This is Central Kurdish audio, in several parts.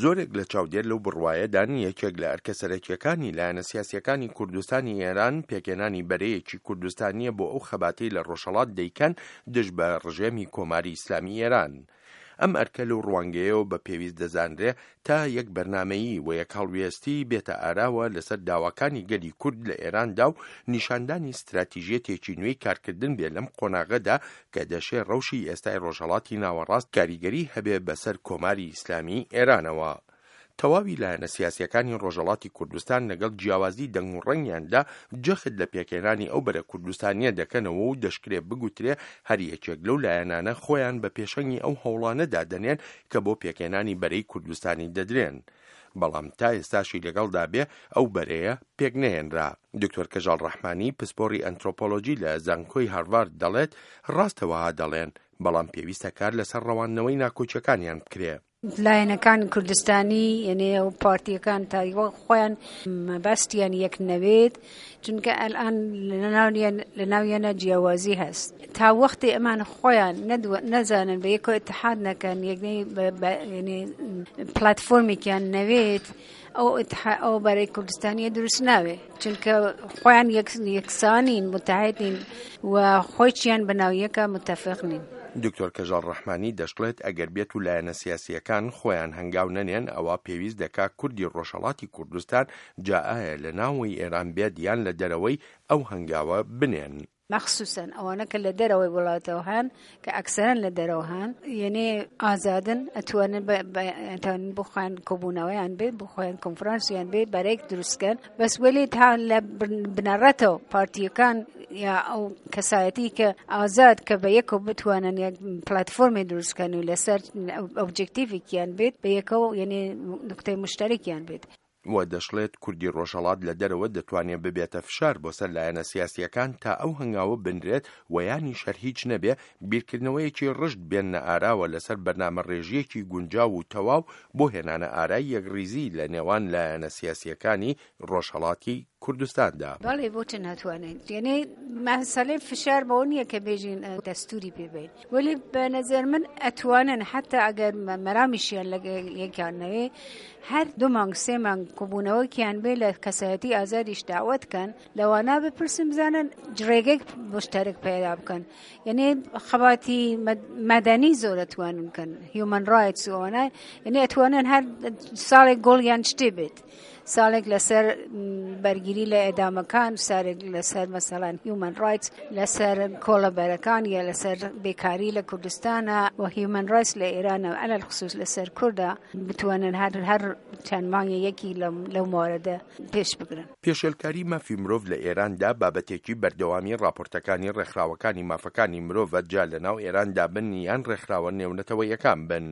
زۆرێک لە چاودێر لەو بڕوایەدان یەکێک لە ئەرکە سەرەکییەکانی لایەنە سیاسییەکانی کوردستانی ئێران پێکهێنانی بەرەیەکی کوردستانییە بۆ ئەو خەباتەی لە ڕۆژهەڵات دەیکەن دژ بە ڕژێمی کۆماری ئیسلامی ئێران. ئەم ئەرکە لەو ڕوانگەیەوە بە پێویست دەزانرێ تا یەک بەرنامەیی و یەک هەڵوێستی بێتە ئاراوە لەسەر داواکانی گەلی کورد لە ئێراندا و نیشاندانی ستراتیژیەتێکی نوێی کارکردن بێ لەم قۆناغەدا کە دەشێ ڕەوشی ئێستای ڕۆژهەڵاتی ناوەڕاست کاریگەری هەبێ بەسەر کۆماری ئیسلامیی ئێرانەوە. تەواوی لایەنە سیاسییەکانی ڕۆژهەڵاتی کوردستان لەگەڵ جیاوازی دەنگ و ڕەنگیاندا جەخت لە پێکهێنانی ئەو بەرە کوردستانییە دەکەنەوە و دەشکرێ بگوترێ هەر یەکێک لەو لایەنانە خۆیان بە پێشەنگی ئەو هەوڵانە دادەنێن کە بۆ پێکهێنانی بەرەی کوردستانی دەدرێن. بەڵام تا ئێستاشی لەگەڵدا بێ ئەو بەرەیە پێک نەهێنرا. دکتۆر کەژاڵ ڕەحمانی، پسپۆڕی ئەنترۆپۆلۆجی لە زانکۆی هارڤارد دەڵێت، ڕاستە وەها دەڵێن، بەڵام پێویستە کار لەسەر ڕەواندنەوەی ناکۆکیەکانیان بکرێ. لایەنەکان کوردستانی یەنێ و پارتیەکان تایوە خۆیان مەبەستیان یەک نەوێت چونکە ئەلان لە ناویانە جیاوازی هەست تا وەختی ئەمان خۆیان نەزانن بە یەکۆ اتحاد نەکەن یەکنەی پلتفۆرمێکیان نەوێت ئەو ئەو بەرەی کوردستانیە دروست ناوێ چونکە خۆیان یەکسانین متحدین و خۆیچیان بەناو یەکە متفق نین. دکتۆر کەژاڵ ڕەحمانی دەشڵێت ئەگەر بێت و لایەنە سیاسییەکان خۆیان هەنگاو نەنێن ئەوا پێویست دەکا کوردی ڕۆژهەڵاتی کوردستان جا ئایا لە ناوەی ئێران بێت یان لە دەرەوەی ئەو هەنگاوە بنێن. مەخسوسەن ئەوانە کە لە دەرەوەی وڵاتەوە هەن کە ئەکسەرەن لە دەرەوە هەن یەنێ ئازادن ئەتوانن ئەتوانن بۆ خۆیان کۆبوونەوەیان بێت بۆ خۆیان کۆنفرانسیان بێت بەرەیەک دروستکەن بەس وەلێ تا لە بنەڕەتەوە پارتیەکان یا ئەو کەسایەتی کە ئازاد کە بە یەکەوە بتوانن یەک پلتفۆرمی دروستکەن و لەسەر ئۆبجێکتیڤێکیان بێت بە یەکەوە یەنێ نوکتەی مشتەرەکیان بێت. و دەشڵێت کوردی ڕۆژهەڵات لە دەرەوە دەتوانێ ببێتە فشار بۆ سەر لایەنە سیاسییەکان تا ئەو هەنگاوە بنرێت و یانیش هەر هیچ نەبێ بیرکردنەوەیەکی ڕژد بێننە ئاراوە لەسەر بەرنامەڕێژییەکی گونجاو و تەواو بۆ هێنانە ئارای یەکڕیزی لە نێوان لایەنە سیاسییەکانی ڕۆژهەڵاتی کوردستاندا. بەڵێ بۆچ ناتوانێت یعنی مەسەلەی فشار بەوە نییە کە بێژین دەستوری پێ بین وەلی بە نەزەر من ئەتوانن حتا ئەگەر مەرامیشیان لە یەکیان نەوێ هەر دوو مانگ سێ مانگ کۆبوونەوەکیان بێ لە کەسایەتی ئازادیش داوەت کەن لەوانە بپرسن بزانن ڕێگەی مشتەرک پەیدا بکەن یعنی خەباتی مەدەنی زۆر ئەتوانن بکەن هیومن ڕایتس و ئەوانە یعنی ئەتوانن هەر ساڵێک گۆڵیان شتێ بێت ساڵێک لەسەر بەرگیری لە ئێدامەکان سارێک لەسەر مەسەڵەن هیومن ڕایتس لەسەر کۆڵەبەرەکان یا لەسەر بێکاری لە کوردستانە و هیومن ڕایتس لە ئێرانە ئەلەل خصوص لەسەر کوردە بتوانن هەر هەر چەند مانگی یەکی لەو مواردە پێش بگرن. پێشێلکاری مافی مرۆڤ لە ئێراندا بابەتێکی بەردەوامی ڕاپۆرتەکانی ڕێکخراوەکانی مافەکانی مرۆڤە جا لەناو ئێراندا بن یان ڕێکخراوە نێونەتەوەیەکان بن.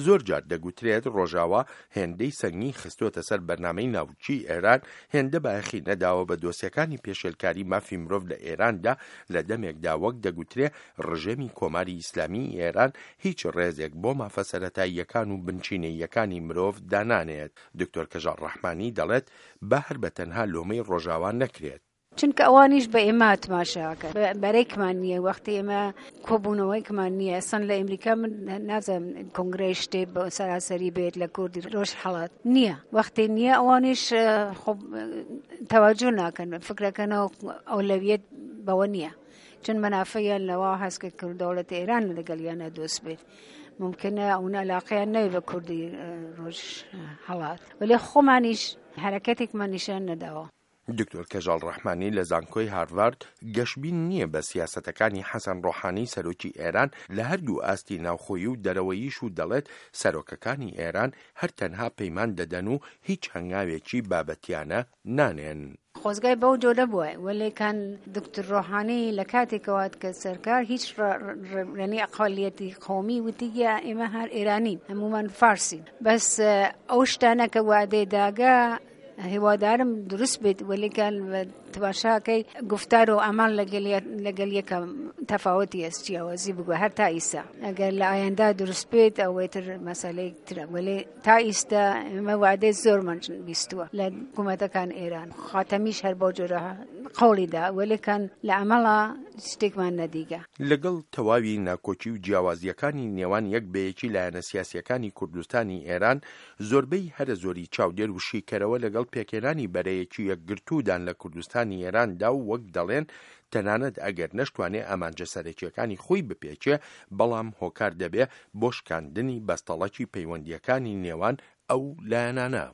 زۆر جار دەگوترێت ڕۆژاوا هێندەی سەنگی خستۆتە سەر بەرنامەی ناوکیی ئێران، هێندە بایەخی نەداوە بە دۆسیەکانی پێشێلکاری مافی مرۆڤ لە ئێراندا لە دەمێکدا وەک دەگوترێ ڕژێمی کۆماری ئیسلامیی ئێران هیچ ڕێزێک بۆ مافە سەرەتاییەکان و بنچینەییەکانی مرۆڤ دانانێت. دکتۆر کەژاڵ ڕەحمانی دەڵێت با هەر بە تەنها لۆمەی ڕۆژاوا نەکرێت. چونکە ئەوانیش بە ئێمە تماشاکەن بەرەیکمان نییە وەختی ئێمە کۆبوونەوەیکمان نییە ئەسڵەن لە ئەمریکا من نازانم کۆنگرەی شتێ بە سەراسەری بێت لە کوردی ڕۆژ حەڵات نییە وەختی نییە ئەوانیش تەواجۆ ناکەن فکرەکەنەوە ئەولەویەت بەوە نییە چون مەنافەیان لەوە هەست کە کرد دەوڵەت ئێران لەگەڵیانە دۆست بێت ممکنە ئەو علاقەیان نەوێ بە کوردی ڕۆژ هەڵات وەلێ خۆمانیش حرەکەتێکمان نیشان نەداوە. دکتۆر کەژاڵ ڕەحمانی لە زانکۆی هارڤارد گەشبین نییە بە سیاسەتەکانی حەسەن ڕۆحانی سەرۆکی ئێران لە هەردوو ئاستی ناوخۆیی و دەرەوەییش و دەڵێت سەرۆکەکانی ئێران هەر تەنها پەیمان دەدەن و هیچ هەنگاوێکی بابەتیانە نانێن. خۆزگای بەو جۆرە بوایە وەلێ کان دکتور ڕۆحانی لە کاتێکەوە هات کە سەرکار هیچ یعنی ئەقەلیەتی قەومی وتی گیا ئێمە هەر ئێرانین هەموومان فارسین بەس ئەو شتانە کە وادەی داگە هیوادارم دروست بێت وەلێ کان. تماشاکەی گفتار و عەمەڵ لەگەل یەکە تەفاوەتی هەس جیاوازی بگوە هەر تا ئیستا ئەگەر لە ئایەندا دروست بێت ئەوەی تر مەسەلەی ترە وەلێ تا ئیستا ئێمە وعدەی زۆرمان بیستووە لە حکوومەتەکان ئێران خاتەمیش هەر بەو جۆرە قەوڵی دا وەلێکان لە عەمەڵا شتێکمان نەدیگە. لەگەڵ تەواوی ناکۆکی و جیاوازییەکانی نێوان یەک بە یەکی لایەنە سیاسییەکانی کوردستانی ئێران، زۆربەی هەرە زۆری چاودێر و شیکەرەوە لەگەڵ پێکهێنانی بەرەیەکی یەکگرتوودان لە کوردستانی ئێراندا و وەک دەڵێن تەنانەت ئەگەر نەشتوانێ ئامانجە سەرەکییەکانی خۆی بپێکێ بەڵام هۆکار دەبێ بۆ شکاندنی بەستەڵەکی پەیوەندییەکانی نێوان ئەو لایەنانە.